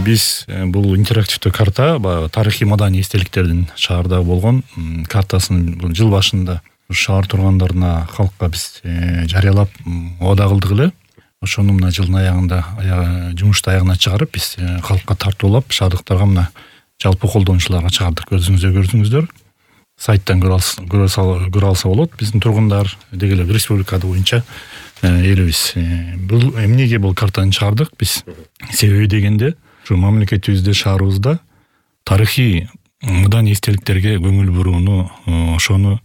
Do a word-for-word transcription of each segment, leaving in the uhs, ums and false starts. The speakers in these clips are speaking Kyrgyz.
биз бул интерактивдүү карта баягы тарыхый маданий эстеликтердин шаарда болгон картасын бул жыл башында шаар тургандарына халкка биз жарыялап ода кылдык эле. Ошону мына жылдын аягында жумушту аягына чыгарып биз халкка тартуулап шаардыктарга мына жалпы колдонуучуларга чыгардык. Өзүңүздөр көрдүңүздөр. Сайттан көрө алса болот. Биздин тургундар деги эле республика боюнча элибиз. Бул эмнеге бул картаны чыгардык биз? Себеби дегенде ушу мамлекетибизде, шаарыбызда тарыхый маданий эстеликтерге көңүл бурууну, ошону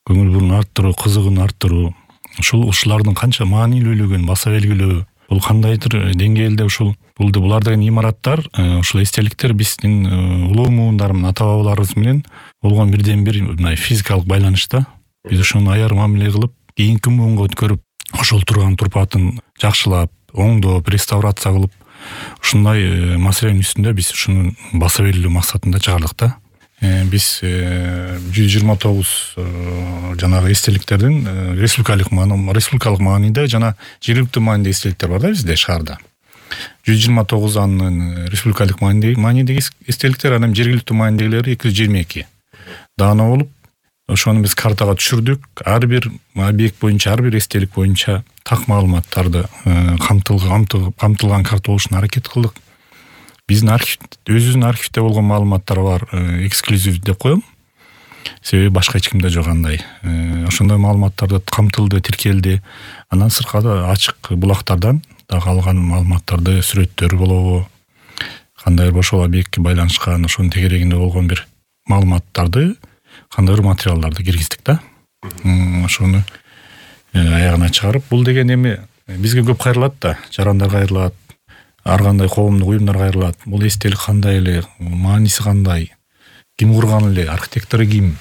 көңүл бурууну арттыруу, кызыгууну арттыруу, ушул ушулардын канча маанилүүлүгүн баса белгилөө, бул кандайдыр деңгээлде ушул бул булар деген имараттар, ушул эстеликтер биздин улуу муундар менен, ата бабаларыбыз менен болгон бирден бир мындай физикалык байланышта. Биз ошону аяр мамиле кылып, кийинки муунга өткөрүп, ошол турган турпатын жакшылап, оңдоп, реставрация кылып, ушундай маселенин үстүндө биз ушуну баса белгилөө максатында чыгардык да. Биз жүз жыйырма тогуз жанагы эстеликтердин республикалык маани, республикалык мааниде жана жергиликтүү мааниде эстеликтер бар да бизде шаарда. жүз жыйырма тогуз анын республикалык маанидеги эстеликтер, анан жергиликтүү маанидегилери эки жүз жыйырма эки даана болуп, ошону биз картага түшүрдүк. Ар бир объект боюнча, ар бир эстелик боюнча так маалыматтарды камтылган карта болушуна аракет кылдык. Биздин архив, өзүбүздүн архивде болгон маалыматтар бар, эксклюзив деп коем. Себеби башка эч кимде жок андай. Ошондой маалыматтарды камтылды, тиркелди. Андан сырткары ачык булактардан да калган маалыматтарды, сүрөттөр болобу, кандайдыр ошол объектке байланышкан, ошонун тегерегинде болгон бир маалыматтарды, кандайдыр материалдарды киргиздик да. Ошону аягына чыгарып, бул деген эми бизге көп кайрылат да, жарандар кайрылат, ар кандай коомдук уюмдар кайрылат. Бул эстелик кандай эле, мааниси кандай, ким курган эле, архитектору ким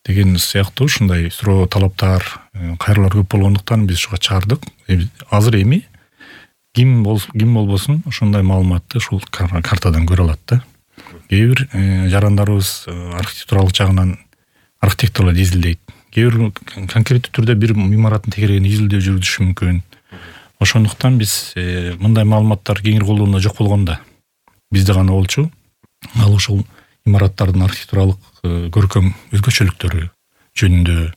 деген сыяктуу ушундай суроо, талаптар, кайрылар көп болгондуктан биз ушуга чыгардык. Азыр эми ким бол ким болбосун ошондой маалыматты ушул картадан көрө алат да. Кээ бир жарандарыбыз архитектуралык жагынан архитекторлор изилдейт. Кээ бир конкреттүү түрдө бир имараттын тегерегинде изилдөө жүргүзүшү мүмкүн. Ошондуктан биз мындай маалыматтар кеңири колдонууда жок болгондо бизде гана болчу. Ал ушул имараттардын архитектуралык көркөм өзгөчөлүктөрү жөнүндө,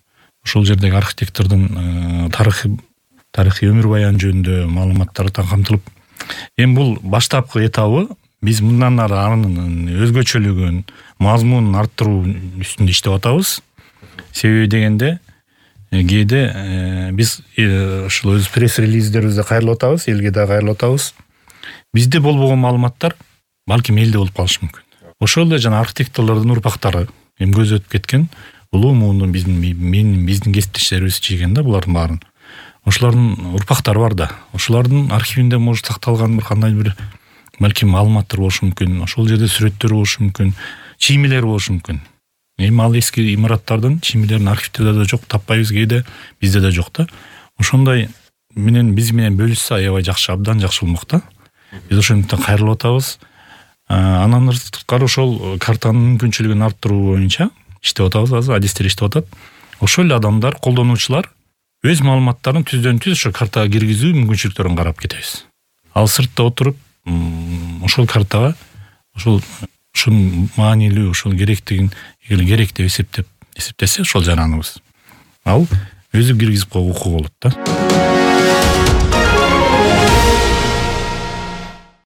ошол жердеги архитектордун тарыхый тарыхый өмүр баяны жөнүндө маалыматтар камтылып, эми бул баштапкы этабы. Биз мындан ары анын өзгөчөлүгүн, мазмунун арттыруу үстүндө иштеп атабыз. Себеби дегенде кээде биз ушул өз пресс-релиздерибизде кайрылып атабыз, элге да кайрылып атабыз. Бизде болбогон маалыматтар балким элде болуп калышы мүмкүн. Ошол эле жана архитекторлордун урпактары эми көз өтүп кеткен улуу муундун биздин менин биздин кесиптештерибиз чийген да булардын баарын. Ошолордун урпактары бар да. Ошолордун архивинде может сакталган бир кандай бир балким маалыматтар болушу мүмкүн. Ошол жерде сүрөттөр болушу мүмкүн, чиймелер болушу мүмкүн. Эми ал эски имараттардын чиймелерин архивтерде да жок, таппайбыз, кээде бизде да жок да. Ошондой менен биз менен бөлүшсө аябай жакшы, абдан жакшы болмок да. Биз ошондуктан кайрылып атабыз. Анан сырткары ошол картанын мүмкүнчүлүгүн арттыруу боюнча иштеп атабыз, азыр адистер иштеп атат. Ошол эле адамдар, колдонуучулар өз маалыматтарын түздөн түз ошо картага киргизүү мүмкүнчүлүктөрүн карап кетебиз. Ал сыртта отуруп ошол картага ошол ушунун маанилүү, ошол керектигин керек деп эсептеп эсептесе ошол жараныбыз, ал өзү киргизип коюуга укугу болот да.